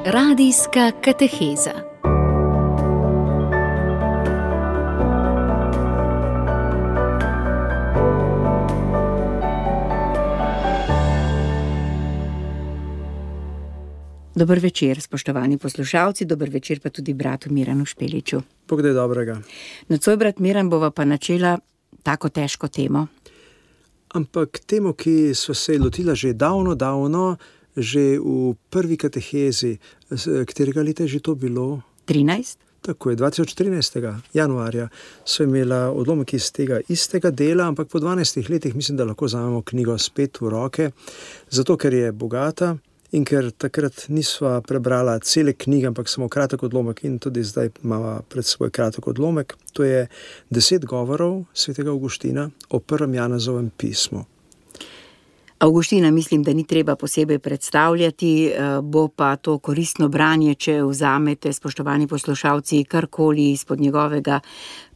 Radijska kateheza. Dober večer, spoštovani poslušalci, dober večer pa tudi bratu Miranu Špeliču. Bog da je dobrega. Nocoj, brat Miran, bova pa načela tako težko temo. Ampak temo, ki sva se lotila že davno, že v prvi katehezi, katerega leta je že to bilo? 13. Tako je, 2013. januarja sva imela odlomek iz tega istega dela, ampak po 12 letih mislim, da lahko vzamemo knjigo spet v roke, zato ker je bogata in ker takrat nisva prebrala cele knjige, ampak samo kratek odlomek in tudi zdaj imamo pred seboj kratek odlomek. To je 10 govorov svetega Avguština o prvem Janezovem pismu. Avguština mislim, da ni treba posebej predstavljati, bo pa to koristno branje, če vzamete, spoštovani poslušalci, karkoli izpod njegovega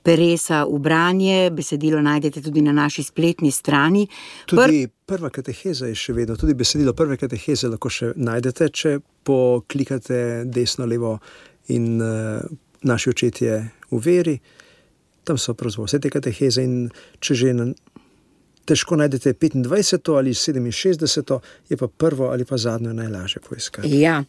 peresa v branje. Besedilo najdete tudi na naši spletni strani. Tudi prva kateheza je še vedno, tudi besedilo prve kateheze lahko še najdete, če poklikate desno, levo in naši očetje v veri. Tam so pravzaprav vse te kateheze in če že težko najdete 25. ali 67. je pa prvo ali pa zadnjo najlažje poiskati. Ja,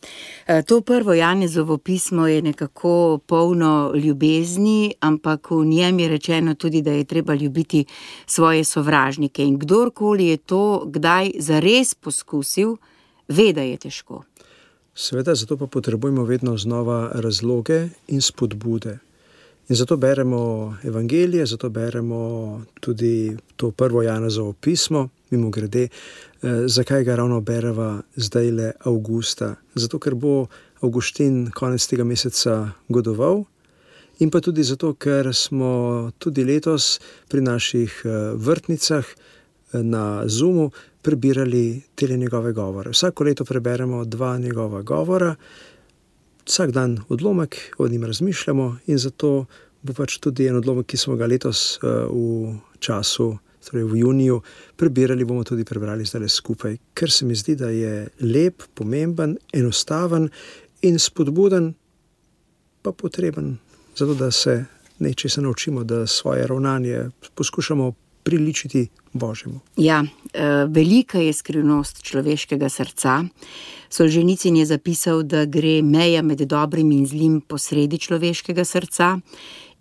to prvo Janezovo pismo je nekako polno ljubezni, ampak v njem je rečeno tudi, da je treba ljubiti svoje sovražnike. In kdorkoli je to kdaj zares poskusil, ve, da je težko. Seveda, zato pa potrebujemo vedno znova razloge in spodbude. In zato beremo evangelije, zato beremo tudi to prvo Janezovo pismo, mimogrede, zakaj ga ravno bereva zdajle avgusta. Zato, ker bo Avguštin konec tega meseca godoval in pa tudi zato, ker smo tudi letos pri naših vrtnicah na Zoomu prebirali tele njegove govore. Vsako leto preberemo 2 njegova govora, vsak dan odlomek, o njim razmišljamo in zato bo pač tudi en odlomek, ki smo ga letos v času, torej v juniju, prebirali, bomo tudi prebrali zdaj skupaj, ker se mi zdi, da je lep, pomemben, enostaven in spodbuden, pa potreben, zato da se nečesa naučimo, da svoje ravnanje poskušamo priličiti Božjemu. Ja, velika je skrivnost človeškega srca. Solženicin je zapisal, da gre meja med dobrim in zlim posredi človeškega srca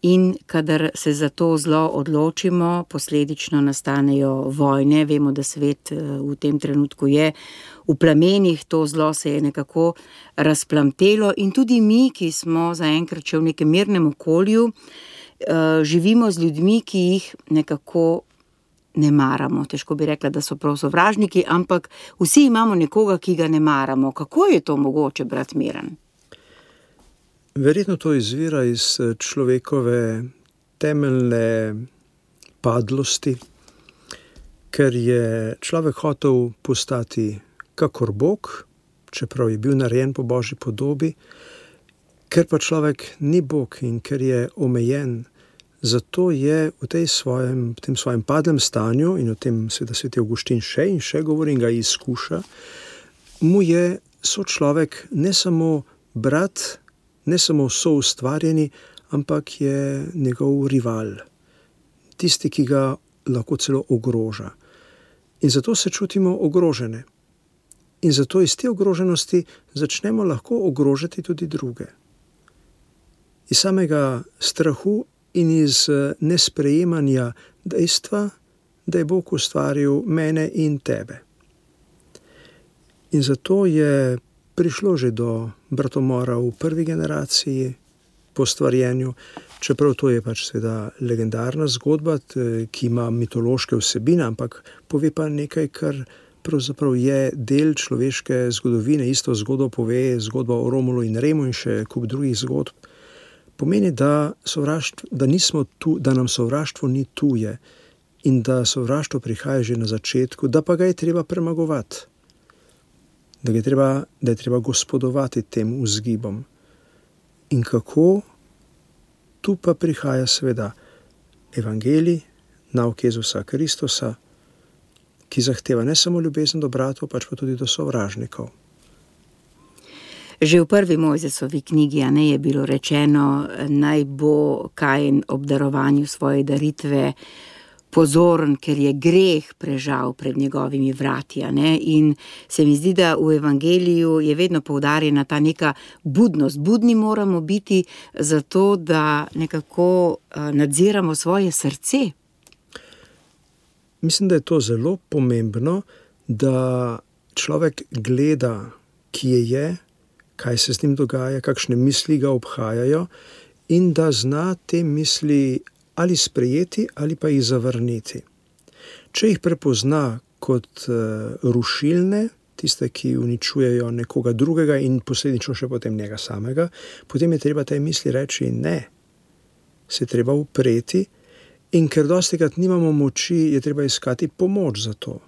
in kadar se za to zlo odločimo, posledično nastanejo vojne. Vemo, da svet v tem trenutku je v plamenih, to zlo se je nekako razplamtelo in tudi mi, ki smo zaenkrat še v nekem mirnem okolju, živimo z ljudmi, ki jih nekako ne maramo. Težko bi rekla, da so prav sovražniki, ampak vsi imamo nekoga, ki ga ne maramo. Kako je to mogoče, brat Miran? Verjetno to izvira iz človekove temeljne padlosti, ker je človek hotel postati kakor Bog, čeprav je bil narejen po Božji podobi, ker pa človek ni Bog in ker je omejen. Zato je v tem svojem padlem stanju, in o tem seveda sveti Avguštin še in še govori in ga izkuša, mu je sočlovek ne samo brat, ne samo soustvarjeni, ampak je njegov rival, tisti, ki ga lahko celo ogroža. In zato se čutimo ogrožene. In zato iz te ogroženosti začnemo lahko ogrožati tudi druge. Iz samega strahu in iz nesprejemanja dejstva, da je Bog ustvaril mene in tebe. In zato je prišlo že do bratomora v prvi generaciji po stvarjenju, čeprav to je pač seveda legendarna zgodba, ki ima mitološke vsebine, ampak pove pa nekaj, kar pravzaprav je del človeške zgodovine. Isto zgodbo pove zgodba o Romulu in Remu in še kup drugih zgodb. Pomeni, da nam sovraštvo ni tuje in da sovraštvo prihaja že na začetku, da pa ga je treba premagovati, da je treba gospodovati tem vzgibom. In kako? Tu pa prihaja seveda evangelij, nauk Jezusa Kristusa, ki zahteva ne samo ljubezen do bratov, pač pa tudi do sovražnikov. Že v prvi Mojzesovi knjigi, a ne, je bilo rečeno, naj bo Kain ob darovanju svoje daritve pozoren, ker je greh prežal pred njegovimi vrati, a ne, in se mi zdi, da v evangeliju je vedno poudarjena ta neka budnost. Budni moramo biti zato, da nekako nadziramo svoje srce. Mislim, da je to zelo pomembno, da človek gleda, kje je, kaj se z njim dogaja, kakšne misli ga obhajajo in da zna te misli ali sprejeti ali pa jih zavrniti. Če jih prepozna kot rušilne, tiste, ki uničujejo nekoga drugega in posledično še potem njega samega, potem je treba tej misli reči ne. Se je treba upreti in ker dostikrat nimamo moči, je treba iskati pomoč za to.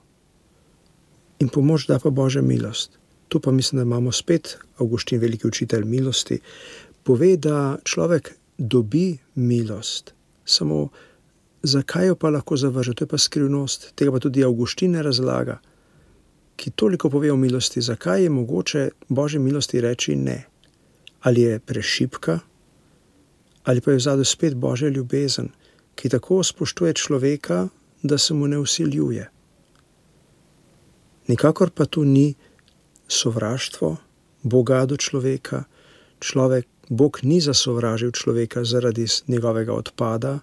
In pomoč da pa Božja milost. Tu pa mislim, da imamo spet Avguštin, veliki učitelj milosti, pove, da človek dobi milost. Samo zakaj jo pa lahko zavrže? To je pa skrivnost. Tega pa tudi Avguštin ne razlaga, ki toliko pove o milosti. Zakaj je mogoče Božji milosti reči ne? Ali je prešibka, ali pa je vzadu spet Božja ljubezen, ki tako spoštuje človeka, da se mu ne vsiljuje. Nikakor pa tu ni sovraštvo Boga do človeka. Bog ni zasovražil človeka zaradi njegovega odpada,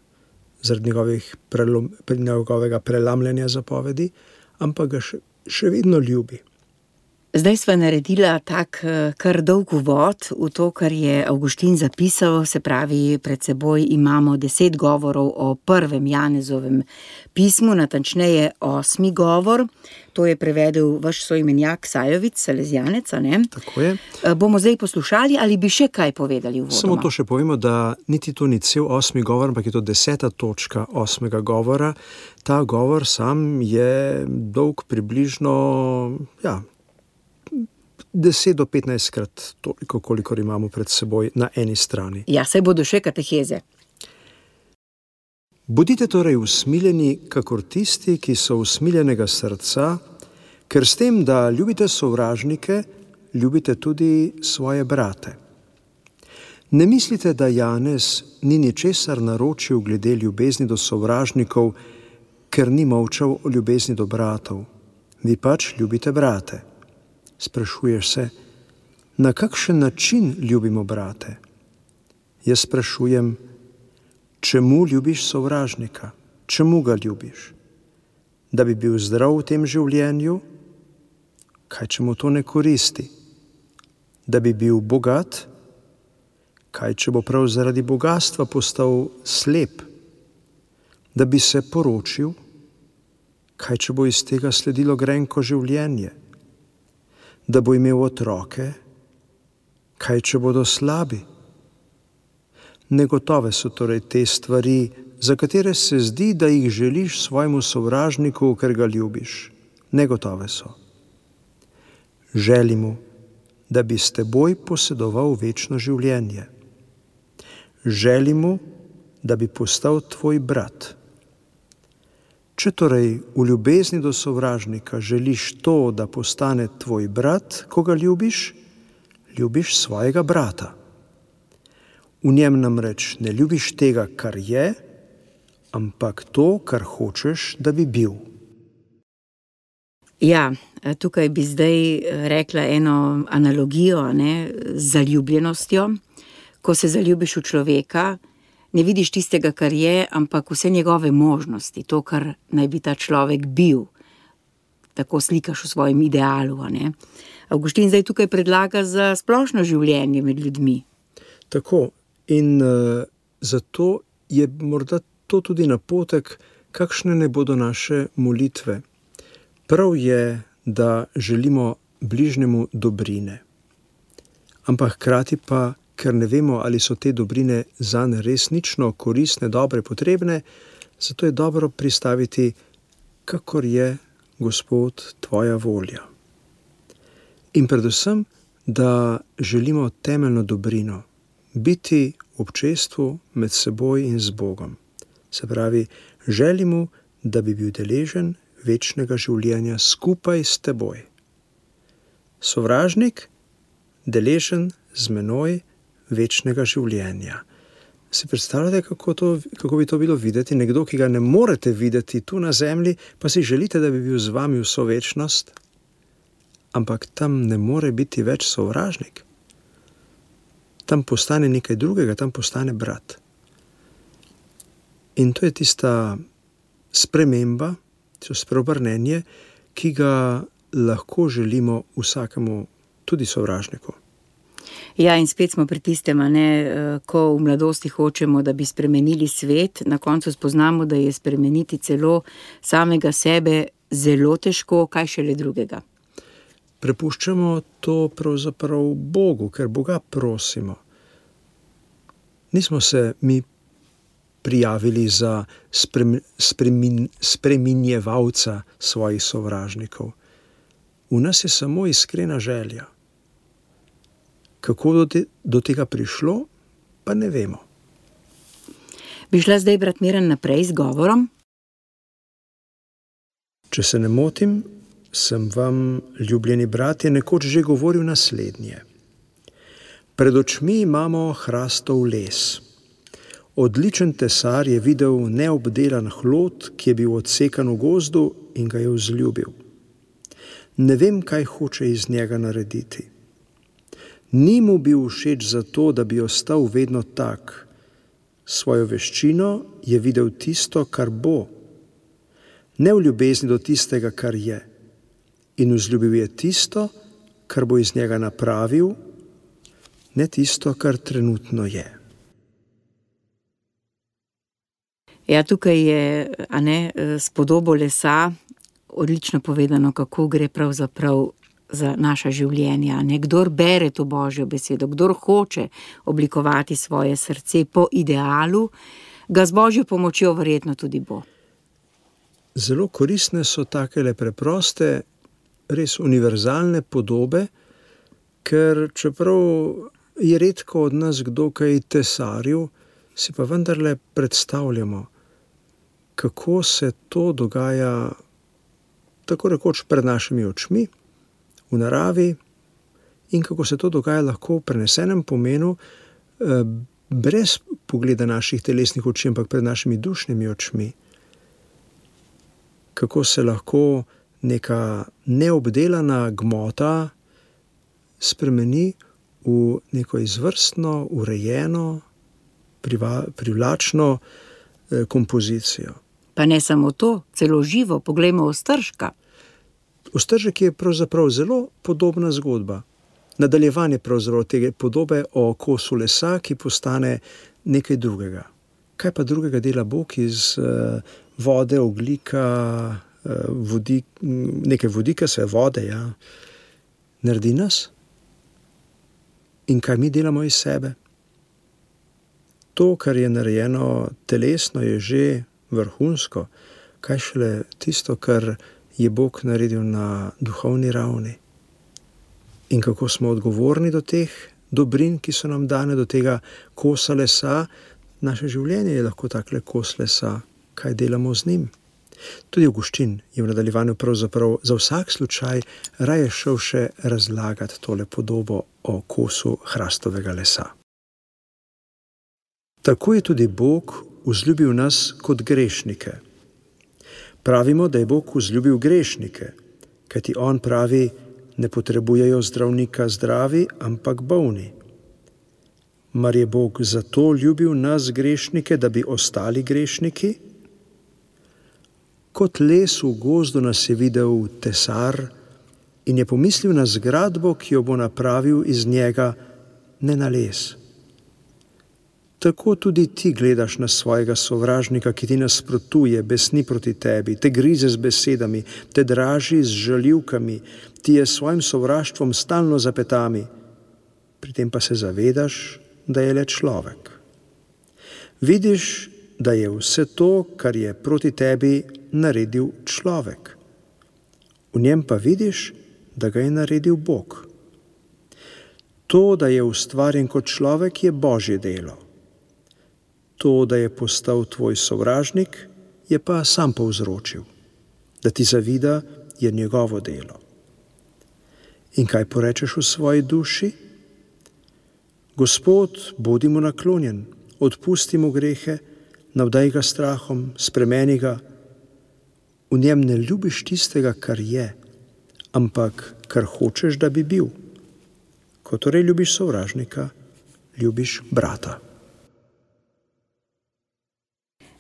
zaradi njegovega prelamljanja zapovedi, ampak ga še vedno ljubi. Zdaj sva naredila tak kar dolg uvod v to, kar je Avguštin zapisal, se pravi, pred seboj imamo 10 govorov o prvem Janezovem pismu, natančneje 8. govor. To je prevedel vaš soimenjak Sajovic, Salezjanec, a ne? Tako je. Bomo zdaj poslušali ali bi še kaj povedali uvodoma? Samo to še povemo, da niti to ni cel 8. govor, ampak je to 10. točka 8. govora. Ta govor sam je dolg približno, 10 do 15 krat toliko, kolikor imamo pred seboj na eni strani. Ja, saj bodo še kateheze. Bodite torej usmiljeni, kakor tisti, ki so usmiljenega srca, ker s tem, da ljubite sovražnike, ljubite tudi svoje brate. Ne mislite, da Janez ni ničesar naročil glede ljubezni do sovražnikov, ker ni molčal o ljubezni do bratov. Vi pač ljubite brate. Sprašuješ se, na kakšen način ljubimo brate? Jaz sprašujem, čemu ljubiš sovražnika? Čemu ga ljubiš? Da bi bil zdrav v tem življenju? Kaj, če mu to ne koristi? Da bi bil bogat? Kaj, če bo prav zaradi bogatstva postal slep? Da bi se poročil? Kaj, če bo iz tega sledilo grenko življenje? Da bo imel otroke? Kaj, če bodo slabi? Negotove so torej te stvari, za katere se zdi, da jih želiš svojemu sovražniku, ker ga ljubiš. Negotove so. Želi mu, da bi s teboj posedoval večno življenje. Želi mu, da bi postal tvoj brat. Če torej v ljubezni do sovražnika želiš to, da postane tvoj brat, ko ga ljubiš, ljubiš svojega brata. V njem namreč ne ljubiš tega, kar je, ampak to, kar hočeš, da bi bil. Ja, tukaj bi zdaj rekla eno analogijo, ne, z zaljubljenostjo. Ko se zaljubiš v človeka, ne vidiš tistega, kar je, ampak vse njegove možnosti, to, kar naj bi ta človek bil. Tako slikaš v svojem idealu, a ne. Avguštin zdaj tukaj predlaga za splošno življenje med ljudmi. Tako, in zato je morda to tudi napotek, kakšne ne bodo naše molitve. Prav je, da želimo bližnjemu dobrine. Ampak hkrati pa, ker ne vemo, ali so te dobrine zanj resnično koristne, dobre, potrebne, zato je dobro pristaviti, kakor je, Gospod, tvoja volja. In predvsem, da želimo temeljno dobrino, biti v občestvu med seboj in z Bogom. Se pravi, želimo, da bi bil deležen večnega življenja skupaj s teboj. Sovražnik, deležen z menoj večnega življenja. Si predstavljate, kako bi to bilo videti? Nekdo, ki ga ne morete videti tu na zemlji, pa si želite, da bi bil z vami vso večnost, ampak tam ne more biti več sovražnik. Tam postane nekaj drugega, tam postane brat. In to je tista sprememba, to spreobrnenje, ki ga lahko želimo vsakemu, tudi sovražniku. Ja, in spet smo pri tistem, ko v mladosti hočemo, da bi spremenili svet, na koncu spoznamo, da je spremeniti celo samega sebe zelo težko, kaj šele drugega. Prepuščamo to pravzaprav Bogu, ker Boga prosimo. Nismo se mi prijavili za spreminjevalca svojih sovražnikov. V nas je samo iskrena želja. Kako do tega prišlo, pa ne vemo. Bi šla zdaj, brat Miran, naprej z govorom? Če se ne motim, sem vam, ljubljeni bratje, nekoč že govoril naslednje. Pred očmi imamo hrastov les. Odličen tesar je videl neobdelan hlod, ki je bil odsekan v gozdu in ga je vzljubil. Ne vem, kaj hoče iz njega narediti. Ni mu bil všeč zato, da bi ostal vedno tak. Svojo veščino je videl tisto, kar bo. Ne v ljubezni do tistega, kar je. In vzljubil je tisto, kar bo iz njega napravil, ne tisto, kar trenutno je. Ja, tukaj je, s podobo lesa odlično povedano, kako gre pravzaprav za naša življenja. Kdor bere to Božjo besedo, kdor hoče oblikovati svoje srce po idealu, ga z Božjo pomočjo verjetno tudi bo. Zelo koristne so takele preproste, res univerzalne podobe, ker čeprav je redko od nas kdo kaj tesaril, si pa vendarle predstavljamo, kako se to dogaja tako rekoč pred našimi očmi, v naravi, in kako se to dogaja lahko v prenesenem pomenu, brez pogleda naših telesnih oči, ampak pred našimi dušnimi očmi. Kako se lahko neka neobdelana gmota spremeni v neko izvrstno, urejeno, privlačno kompozicijo. Pa ne samo to, celo živo, poglejmo Ostržka. Ostržek je pravzaprav zelo podobna zgodba. Nadaljevanje pravzaprav tega podobe o kosu lesa, ki postane nekaj drugega. Kaj pa drugega dela Bog iz vode, ogljika, nekaj vodika, se vode, ja, naredi nas? In kaj mi delamo iz sebe? To, kar je narejeno telesno, je že vrhunsko. Kaj šele tisto, kar je Bog naredil na duhovni ravni? In kako smo odgovorni do teh dobrin, ki so nam dane, do tega kosa lesa? Naše življenje je lahko takle kos lesa. Kaj delamo z njim? Tudi Avguštin je v nadaljevanju pravzaprav za vsak slučaj raje šel še razlagati tole podobo o kosu hrastovega lesa. Tako je tudi Bog vzljubil nas kot grešnike. Pravimo, da je Bog vzljubil grešnike, kajti on pravi, ne potrebujejo zdravnika zdravi, ampak bolni. Mar je Bog zato ljubil nas grešnike, da bi ostali grešniki? Kot les v gozdu nas je videl tesar in je pomislil na zgradbo, ki jo bo napravil iz njega, ne na les. Tako tudi ti gledaš na svojega sovražnika, ki ti nasprotuje, besni proti tebi, te grize z besedami, te draži z žaljivkami, ti je svojim sovraštvom stalno za petami. Pri tem pa se zavedaš, da je le človek. Vidiš, da je vse to, kar je proti tebi, naredil človek. V njem pa vidiš, da ga je naredil Bog. To, da je ustvarjen kot človek, je Božje delo. To, da je postal tvoj sovražnik, je pa sam povzročil. Da ti zavida, je njegovo delo. In kaj porečeš v svoji duši? Gospod, bodi mu naklonjen, odpusti mu grehe, navdaj ga strahom, spremeni ga. V njem ne ljubiš tistega, kar je, ampak kar hočeš, da bi bil. Ko torej ljubiš sovražnika, ljubiš brata.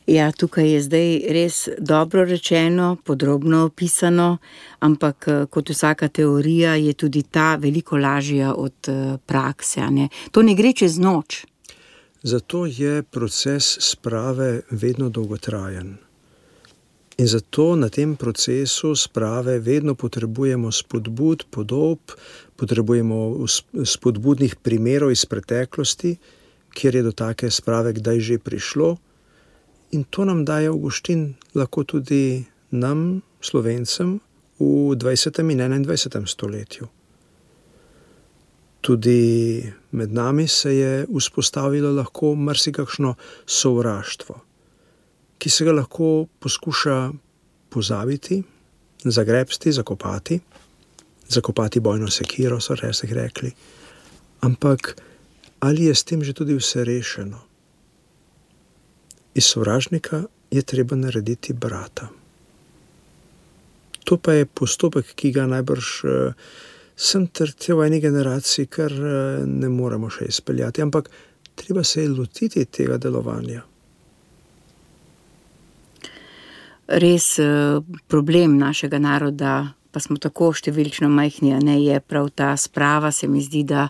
Ja, tukaj je zdaj res dobro rečeno, podrobno opisano, ampak kot vsaka teorija je tudi ta veliko lažja od prakse, a ne? To ne gre čez noč. Zato je proces sprave vedno dolgotrajen. In zato na tem procesu sprave vedno potrebujemo spodbud, podob, potrebujemo spodbudnih primerov iz preteklosti, kjer je do take sprave kdaj že prišlo. In to nam daje Avguštin lahko tudi nam, Slovencem, v 20. in 21. stoletju. Tudi med nami se je vzpostavilo lahko marsikakšno sovraštvo, ki se ga lahko poskuša pozabiti, zagrebsti, zakopati bojno sekiro, so včasih rekli. Ampak ali je s tem že tudi vse rešeno? Iz sovražnika je treba narediti brata. To pa je postopek, ki ga najbrž sem trdil v eni generaciji, kar ne moremo še izpeljati, ampak treba se je lotiti tega delovanja. Res problem našega naroda, pa smo tako številčno majhni, a ne, je prav ta sprava. Se mi zdi, da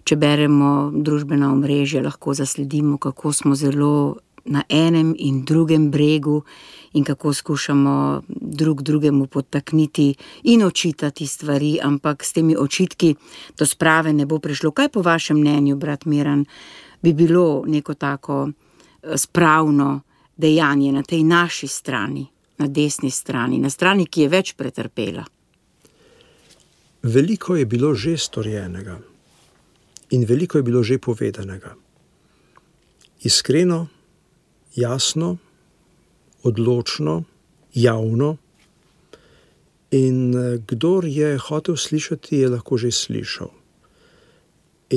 če beremo družbena omrežja, lahko zasledimo, kako smo zelo na enem in drugem bregu in kako skušamo drug drugemu podtakniti in očitati stvari, ampak s temi očitki do sprave ne bo prišlo. Kaj po vašem mnenju, brat Miran, bi bilo neko tako spravno dejanje na tej naši strani, na desni strani, na strani, ki je več pretrpela? Veliko je bilo že storjenega in veliko je bilo že povedanega. Iskreno, jasno, odločno, javno, in kdor je hotel slišati, je lahko že slišal.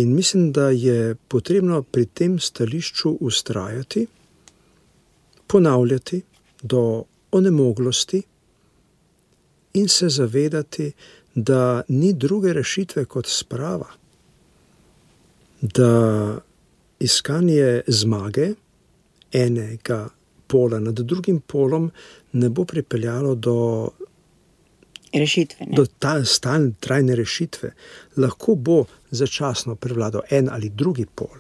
In mislim, da je potrebno pri tem stališču vztrajati, ponavljati do onemoglosti in se zavedati, da ni druge rešitve kot sprava, da iskanje zmage enega pola nad drugim polom ne bo pripeljalo do rešitve, ne? Do stalne, trajne rešitve. Lahko bo začasno prevladal en ali drugi pol,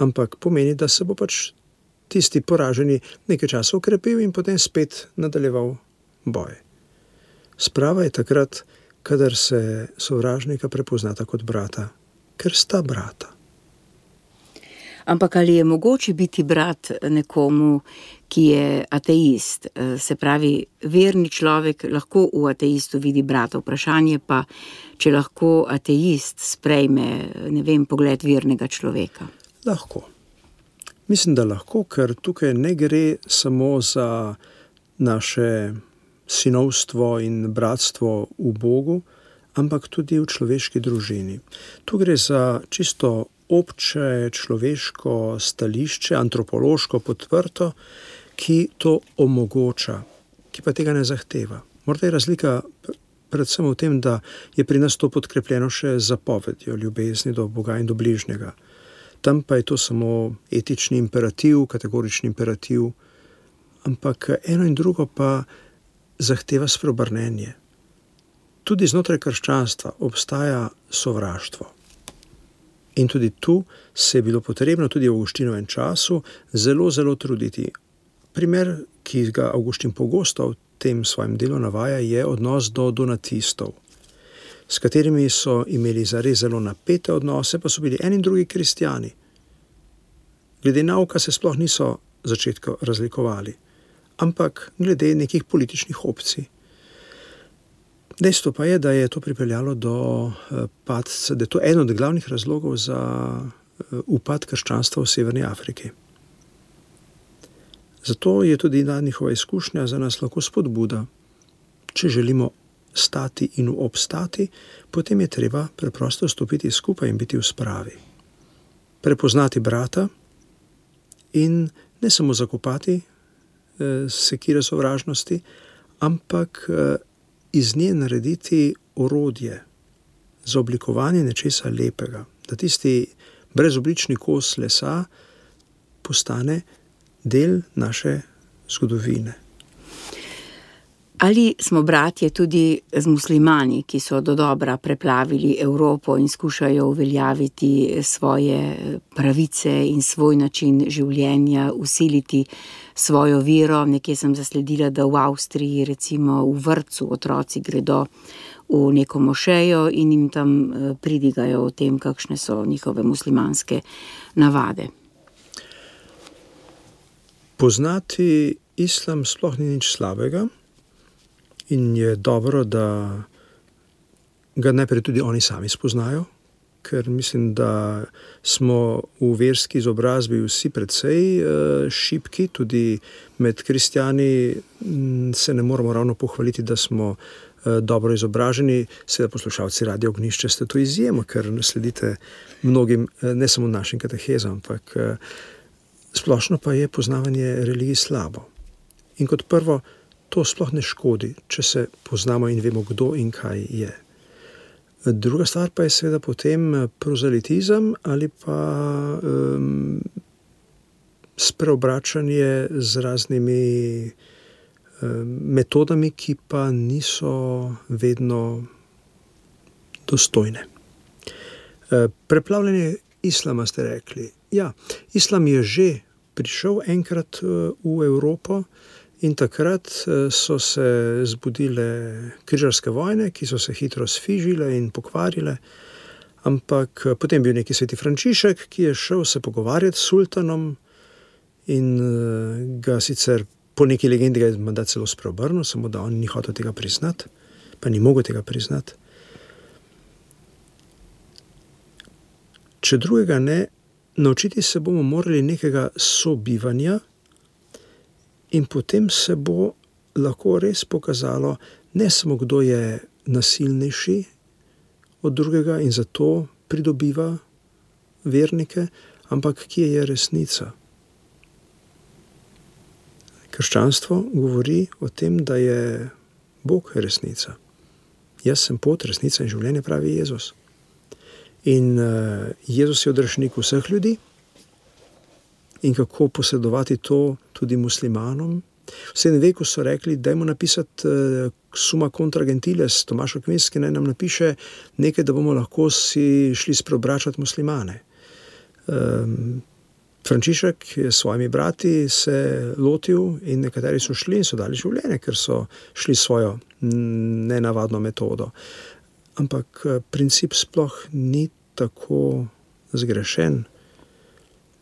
ampak pomeni, da se bo pač tisti poraženi nekaj časa ukrepil in potem spet nadaljeval boj. Sprava je takrat, kadar se sovražnika prepoznata kot brata, ker sta brata. Ampak ali je mogoče biti brat nekomu, ki je ateist? Se pravi, verni človek lahko v ateistu vidi brata. Vprašanje pa, če lahko ateist sprejme, ne vem, pogled vernega človeka. Lahko. Mislim, da lahko, ker tukaj ne gre samo za naše sinovstvo in bratstvo v Bogu, ampak tudi v človeški družini. Tu gre za čisto obče človeško stališče, antropološko podprto, ki to omogoča, ki pa tega ne zahteva. Morda je razlika predvsem v tem, da je pri nas to podkrepljeno še zapovedjo ljubezni do Boga in do bližnjega. Tam pa je to samo etični imperativ, kategorični imperativ, ampak eno in drugo pa zahteva spreobrnenje. Tudi znotraj krščanstva obstaja sovraštvo. In tudi tu se je bilo potrebno tudi v Avguštinovem času zelo, zelo truditi. Primer, ki ga Avguštin pogosto v tem svojem delu navaja, je odnos do donatistov, s katerimi so imeli zares zelo napete odnose, pa so bili eni in drugi kristjani. Glede nauka se sploh niso začetku razlikovali, ampak glede nekih političnih opcij. Dejstvo pa je, da je to pripeljalo do padca, da je to eden od glavnih razlogov za upad krščanstva v Severni Afriki. Zato je tudi njihova izkušnja za nas lahko spodbuda. Če želimo stati in obstati, potem je treba preprosto stopiti skupaj in biti v spravi. prepoznati brata in ne samo zakopati sekire sovražnosti, ampak iz nje narediti orodje za oblikovanje nečesa lepega, da tisti brezoblični kos lesa postane del naše zgodovine. Ali smo bratje tudi z muslimani, ki so dodobra preplavili Evropo in skušajo uveljaviti svoje pravice in svoj način življenja, vsiliti svojo vero? Nekje sem zasledila, da v Avstriji, recimo v vrtcu, otroci gredo v neko mošejo in jim tam pridigajo o tem, kakšne so njihove muslimanske navade. Poznati islam sploh ni nič slabega. In je dobro, da ga najprej tudi oni sami spoznajo, ker mislim, da smo v verski izobrazbi vsi precej šibki, tudi med kristjani se ne moramo ravno pohvaliti, da smo dobro izobraženi. Seveda poslušalci Radia Ognjišče ste to izjemo, ker sledite mnogim, ne samo našim katehezam, ampak splošno pa je poznavanje religij slabo. In kot prvo, to sploh ne škodi, če se poznamo in vemo, kdo in kaj je. Druga stvar pa je seveda potem prozelitizem ali pa spreobračanje z raznimi metodami, ki pa niso vedno dostojne. Preplavljanje islama ste rekli. Ja, islam je že prišel enkrat v Evropo, in takrat so se zbudile križarske vojne, ki so se hitro sfižile in pokvarile, ampak potem bil neki sveti Frančišek, ki je šel se pogovarjati s sultanom in ga sicer po neki legendi ga je menda celo spreobrnil, samo da on ni hotel tega priznati, pa ni mogel tega priznati. Če drugega ne, naučiti se bomo morali nekega sobivanja, in potem se bo lahko res pokazalo, ne samo kdo je nasilnejši od drugega in zato pridobiva vernike, ampak kje je resnica. Krščanstvo govori o tem, da je Bog resnica. Jaz sem pot, resnica in življenje, pravi Jezus. In Jezus je odrešnik vseh ljudi. In kako posredovati to tudi muslimanom. V 7. veku so rekli, dajmo napisati Summa contra gentiles, Tomaž Akvinski naj nam napiše nekaj, da bomo lahko si šli spreobračati muslimane. Frančišek je s svojimi brati se lotil in nekateri so šli in so dali življenje, ker so šli svojo nenavadno metodo. Ampak princip sploh ni tako zgrešen.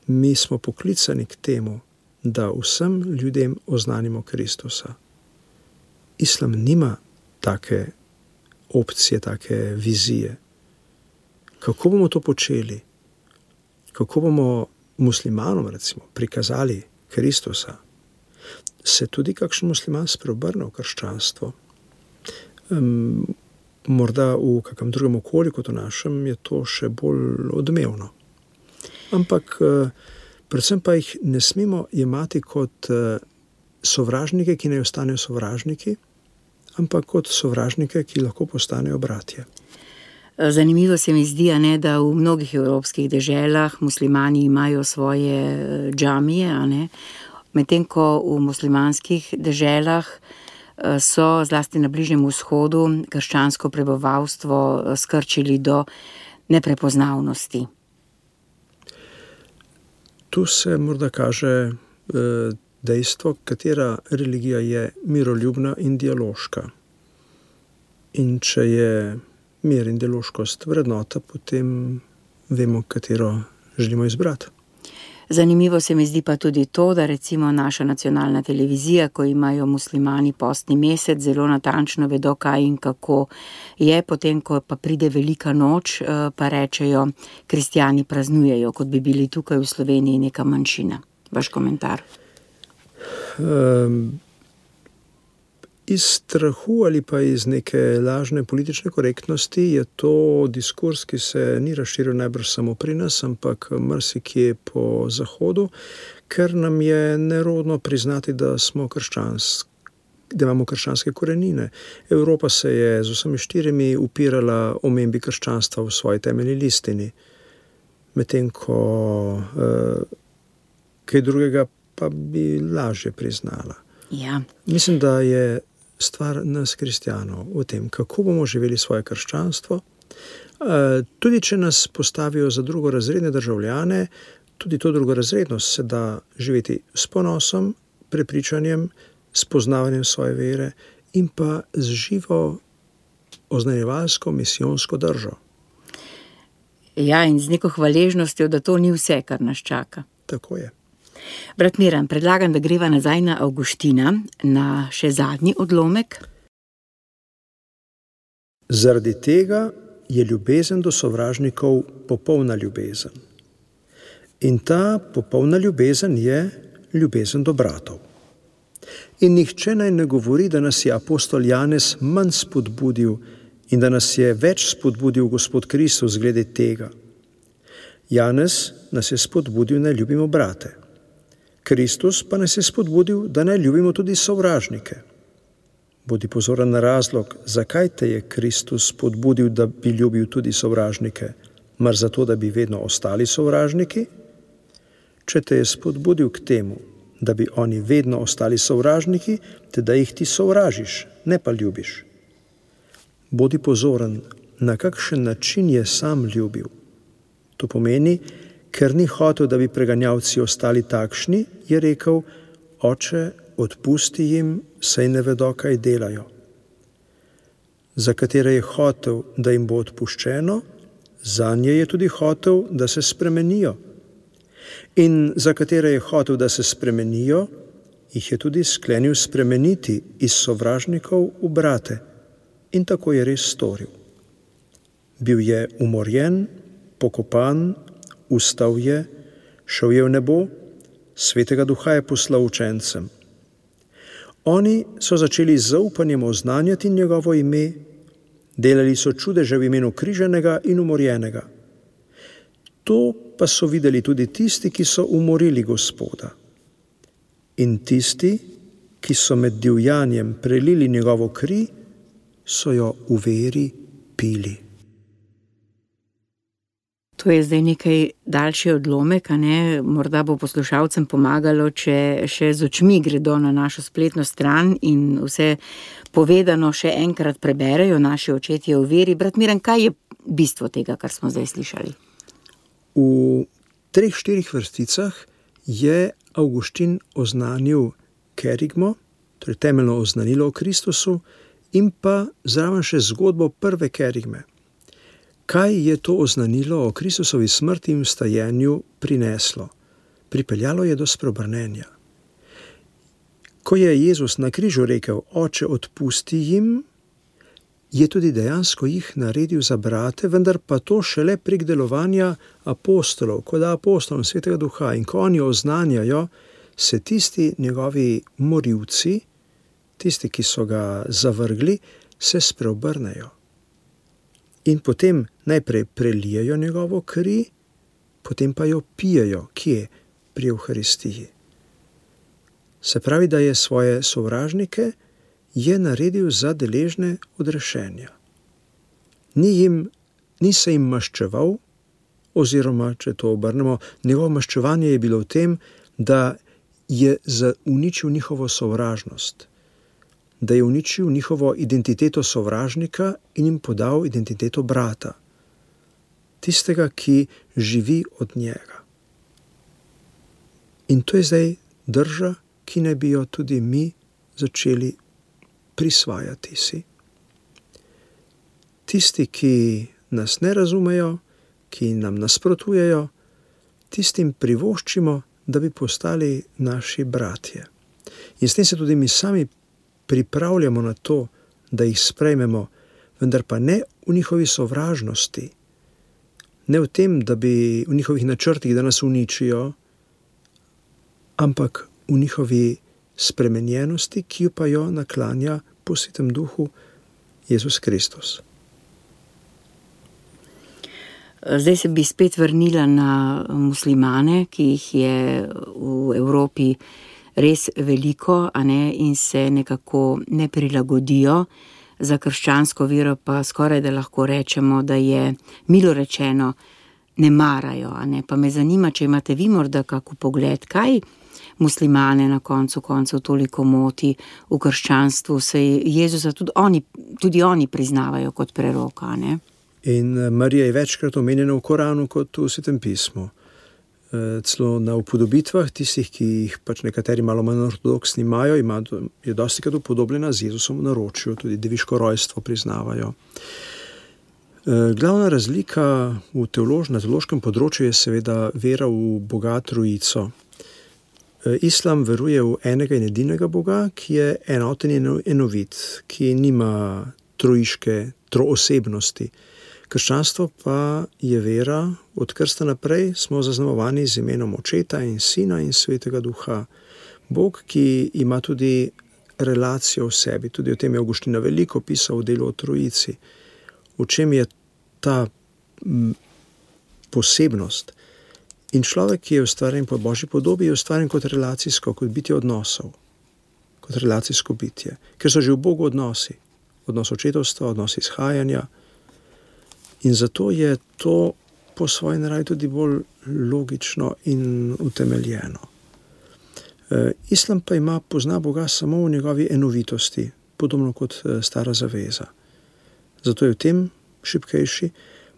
Mi smo poklicani k temu, da vsem ljudem oznanimo Kristusa. Islam nima take opcije, take vizije. Kako bomo to počeli? Kako bomo muslimanom, recimo, prikazali Kristusa? Se tudi kakšen musliman spreobrne v krščanstvo? Morda v kakem drugem okolju kot v našem je to še bolj odmevno. Ampak predvsem pa jih ne smemo jemati kot sovražnike, ki ne ostanejo sovražniki, ampak kot sovražnike, ki lahko postanejo bratje. Zanimivo se mi zdi, da v mnogih evropskih deželah muslimani imajo svoje džamije, medtem ko v muslimanskih deželah so zlasti na Bližnjem vzhodu krščansko prebivalstvo skrčili do neprepoznavnosti. Tu se morda kaže dejstvo, katera religija je miroljubna in dialoška. In če je mir in dialoškost vrednota, potem vemo, katero želimo izbrati. Zanimivo se mi zdi pa tudi to, da recimo naša nacionalna televizija, ko imajo muslimani postni mesec, zelo natančno vedo, kaj in kako je, potem, ko pa pride velika noč, pa rečejo, kristjani praznujejo, kot bi bili tukaj v Sloveniji neka manjšina. Vaš komentar? Iz strahu ali pa iz neke lažne politične korektnosti je to diskurs, ki se ni razširil najbrž samo pri nas, ampak marsikje po Zahodu, ker nam je nerodno priznati, da imamo krščanske korenine. Evropa se je z vsemi štirimi upirala omembi krščanstva v svoji temeljni listini, medtem ko kaj drugega pa bi lažje priznala. Ja. Mislim, da je stvar nas kristjanov v tem, kako bomo živeli svoje krščanstvo. Tudi če nas postavijo za drugorazredne državljane, tudi to drugorazrednost se da živeti s ponosom, prepričanjem, spoznavanjem svoje vere in pa z živo oznanjevalsko misijonsko držo. Ja, in z neko hvaležnostjo, da to ni vse, kar nas čaka. Tako je. Brat Miran, predlagam, da greva nazaj na Avguština, na še zadnji odlomek. Zaradi tega je ljubezen do sovražnikov popolna ljubezen. In ta popolna ljubezen je ljubezen do bratov. In nihče naj ne govori, da nas je apostol Janez manj spodbudil in da nas je več spodbudil Gospod Kristus glede tega. Janez nas je spodbudil, naj ljubimo brate. Kristus pa nas je spodbudil, da naj ljubimo tudi sovražnike. Bodi pozoren na razlog, zakaj te je Kristus spodbudil, da bi ljubil tudi sovražnike, mar zato, da bi vedno ostali sovražniki? Če te je spodbudil k temu, da bi oni vedno ostali sovražniki, te da jih ti sovražiš, ne pa ljubiš. Bodi pozoren, na kakšen način je sam ljubil. To pomeni, ker ni hotel, da bi preganjavci ostali takšni, je rekel: Oče, odpusti jim, saj ne vedo, kaj delajo. Za katere je hotel, da jim bo odpuščeno, zanje je tudi hotel, da se spremenijo. In za katere je hotel, da se spremenijo, jih je tudi sklenil spremeniti iz sovražnikov v brate. In tako je res storil. Bil je umorjen, pokopan, vstal je, šel je v nebo, Svetega Duha je poslal učencem. Oni so začeli z zaupanjem oznanjati njegovo ime, delali so čudeže v imenu križanega in umorjenega. To pa so videli tudi tisti, ki so umorili Gospoda. In tisti, ki so med divjanjem prelili njegovo kri, so jo v veri pili. To je zdaj nekaj daljši odlomek, a ne? Morda bo poslušalcem pomagalo, če še z očmi gredo na našo spletno stran in vse povedano še enkrat preberejo naši očetje v veri. Brat Miran, kaj je bistvo tega, kar smo zdaj slišali? V 3-4 vrsticah je Avguštin oznanil kerigmo, torej temeljno oznanilo o Kristusu, in pa zraven še zgodbo prve kerigme. Kaj je to oznanilo o Kristusovi smrti in vstajenju prineslo? Pripeljalo je do spreobrnenja. Ko je Jezus na križu rekel: Oče, odpusti jim, je tudi dejansko jih naredil za brate, vendar pa to šele prek delovanja apostolov, ko da apostolom Svetega Duha, in ko oni oznanjajo, se tisti njegovi morilci, tisti, ki so ga zavrgli, se spreobrnejo. In potem najprej prelijejo njegovo kri, potem pa jo pijejo. Kje? Pri Evharistiji. Se pravi, da je svoje sovražnike je naredil za deležne odrešenja. Ni se jim maščeval, oziroma, če to obrnemo, njegovo maščevanje je bilo v tem, da je uničil njihovo sovražnost, da je uničil njihovo identiteto sovražnika in jim podal identiteto brata, tistega, ki živi od njega. In to je zdaj drža, ki naj bi jo tudi mi začeli prisvajati si. Tisti, ki nas ne razumejo, ki nam nasprotujejo, tistim privoščimo, da bi postali naši bratje. In s tem se tudi mi sami pripravljamo na to, da jih sprejmemo, vendar pa ne v njihovi sovražnosti, ne v tem, da bi v njihovih načrtih, da nas uničijo, ampak v njihovi spremenjenosti, ki pa jo naklanja po Svetem Duhu Jezus Kristus. Zdaj se bi spet vrnila na muslimane, ki jih je v Evropi res veliko, a ne, in se nekako ne prilagodijo. Za krščansko vero pa skoraj da lahko rečemo, da je milo rečeno ne marajo, a ne. Pa me zanima, če imate vi morda kak pogled, kaj muslimane na koncu koncev toliko moti v krščanstvu, saj Jezusa tudi oni priznavajo kot preroka, ne. In Marija je večkrat omenjena v Koranu kot v Svetem pismu. Celo na upodobitvah tistih, ki jih pač nekateri malo manj ortodoksni imajo, je dostikrat upodobljena z Jezusom v naročju, tudi deviško rojstvo priznavajo. Glavna razlika na teološkem področju je seveda vera v Boga Trojico. Islam veruje v enega in edinega Boga, ki je enoten in enovit, ki nima troosebnosti. Krščanstvo pa je vera, od krsta naprej smo zaznamovani z imenom Očeta in Sina in Svetega Duha. Bog, ki ima tudi relacijo v sebi, tudi o tem je Avguštin veliko pisal v delu o Trojici. V čem je ta posebnost? In človek, ki je ustvarjen po Božji podobi, je ustvarjen kot kot bitje odnosov, kot relacijsko bitje. Ker so že v Bogu odnosi, odnos očetovstva, odnos izhajanja. In zato je to po svoji naravi tudi bolj logično in utemeljeno. Islam pa pozna Boga samo v njegovi enovitosti, podobno kot Stara zaveza. Zato je v tem šibkejši.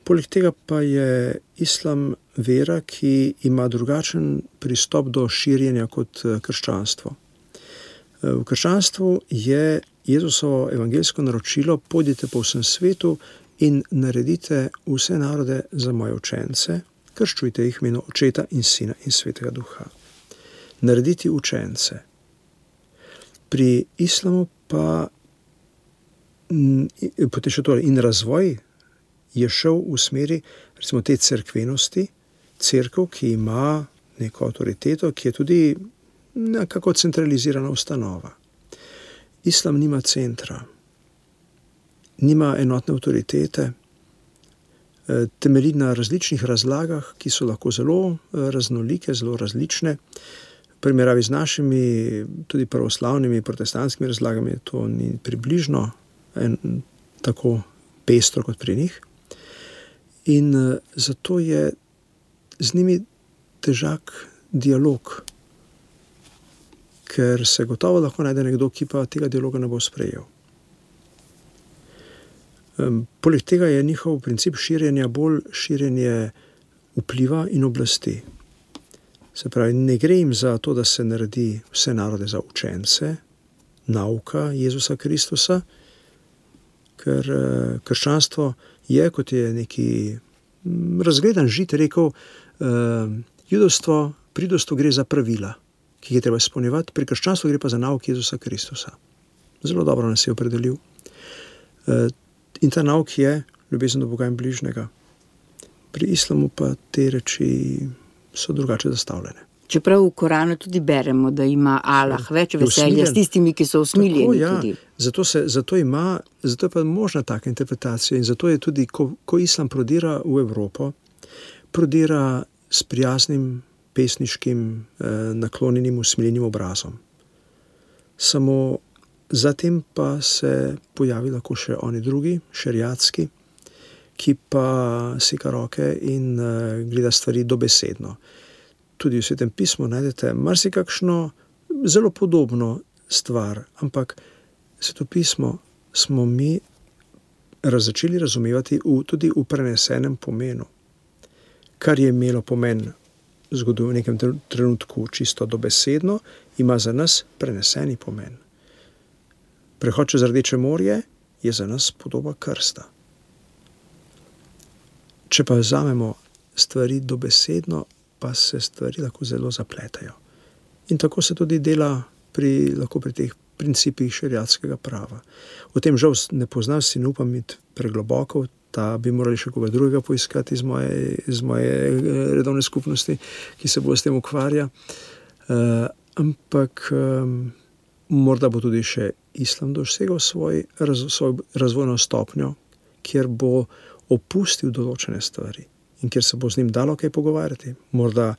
Poleg tega pa je Islam vera, ki ima drugačen pristop do širjenja kot krščanstvo. V krščanstvu je Jezusovo evangeljsko naročilo: pojdite po vsem svetu in naredite vse narode za moje učence, krščujte jih v imenu Očeta in Sina in Svetega Duha. Narediti učence. Pri Islamu pa potem še torej in razvoj je šel v smeri, recimo, te cerkvenosti, cerkev, ki ima neko avtoriteto, ki je tudi nekako centralizirana ustanova. Islam nima centra, nima enotne avtoritete, temelji na različnih razlagah, ki so lahko zelo raznolike, zelo različne. V primerjavi z našimi, tudi pravoslavnimi, protestantskimi razlagami, to ni približno tako pestro kot pri njih. In zato je z njimi težak dialog, ker se gotovo lahko najde nekdo, ki pa tega dialoga ne bo sprejel. Poleg tega je njihov princip širjenja bolj širjenje vpliva in oblasti. Se pravi, ne gre jim za to, da se naredi vse narode za učence, nauka Jezusa Kristusa, ker krščanstvo je, kot je neki razgledan Žid rekel, pri judovstvu gre za pravila, ki jih je treba izpolnjevati, pri krščanstvu gre pa za nauk Jezusa Kristusa. Zelo dobro nas je opredelil. In ta nauk je ljubezen do Boga in bližnjega. Pri islamu pa te reči so drugače zastavljene. Čeprav v Koranu tudi beremo, da ima Allah več veselja s tistimi, ki so usmiljeni. Tako, ja. Zato je pa možna taka interpretacija in zato je tudi, ko islam prodira v Evropo, prodira s prijaznim, pesniškim, naklonjenim, usmiljenim obrazom. Samo zatem pa se pojavi lahko še oni drugi, šeriatski, ki pa seka roke in gleda stvari dobesedno. Tudi v Svetem pismu najdete marsikakšno zelo podobno stvar, ampak Sveto pismo smo mi začeli razumevati tudi v prenesenem pomenu. Kar je imelo pomen v nekem trenutku čisto dobesedno, ima za nas preneseni pomen. Prehod čez Rdeče morje je za nas podoba krsta. Če pa vzamemo stvari dobesedno, pa se stvari lahko zelo zapletajo. In tako se tudi dela lahko pri teh principih šeriatskega prava. O tem žal ne poznam, si ne upam iti pregloboko, bi morali še koga drugega poiskati iz moje redovne skupnosti, ki se bo s tem ukvarja. Ampak Morda bo tudi še islam dosegal svoj razvojno stopnjo, kjer bo opustil določene stvari in kjer se bo z njim dalo kaj pogovarjati. Morda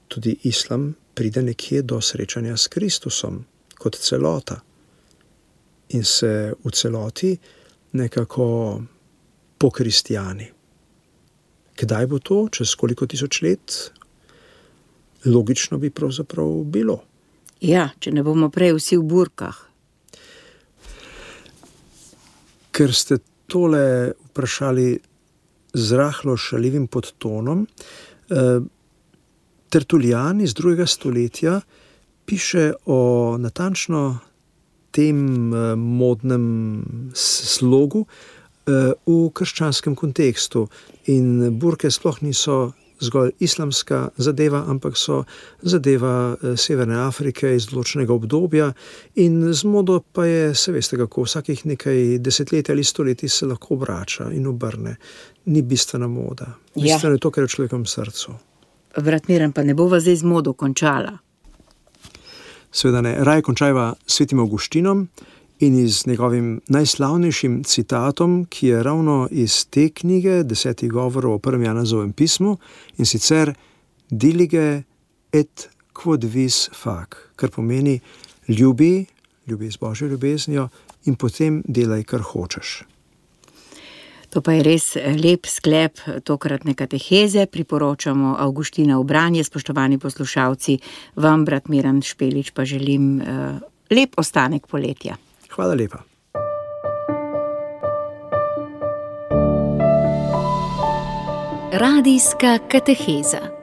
tudi islam pride nekje do srečanja s Kristusom kot celota in se v celoti nekako pokristjani. Kdaj bo to? Čez koliko tisoč let? Logično bi pravzaprav bilo. Ja, če ne bomo prej vsi v burkah. Ker ste tole vprašali z rahlo šaljivim podtonom, Tertulijan iz 2. stoletja piše o natančno tem modnem slogu v krščanskem kontekstu. In burke sploh niso zgolj islamska zadeva, ampak so zadeva Severne Afrike iz določenega obdobja in z modo pa je, se veste kako, vsakih nekaj desetletij ali stoletij se lahko vrača in obrne. Ni bistvena moda. Bistveno je to, kar je v človekovem srcu. Brat Miran, pa ne bova zdaj z modo končala. Seveda ne. Raje končajva s Svetim Avguštinom in iz njegovim najslavnejšim citatom, ki je ravno iz te knjige 10 govorov o prvem Janezovem pismu, in sicer dilige et quod vis fac, kar pomeni ljubi z Božjo ljubeznijo in potem delaj, kar hočeš. To pa je res lep sklep tokratne kateheze. Priporočamo Avguština v branje. Spoštovani poslušalci, vam, brat Miran Špelič, pa želim lep ostanek poletja. Hvala lepa. Radijska kateheza.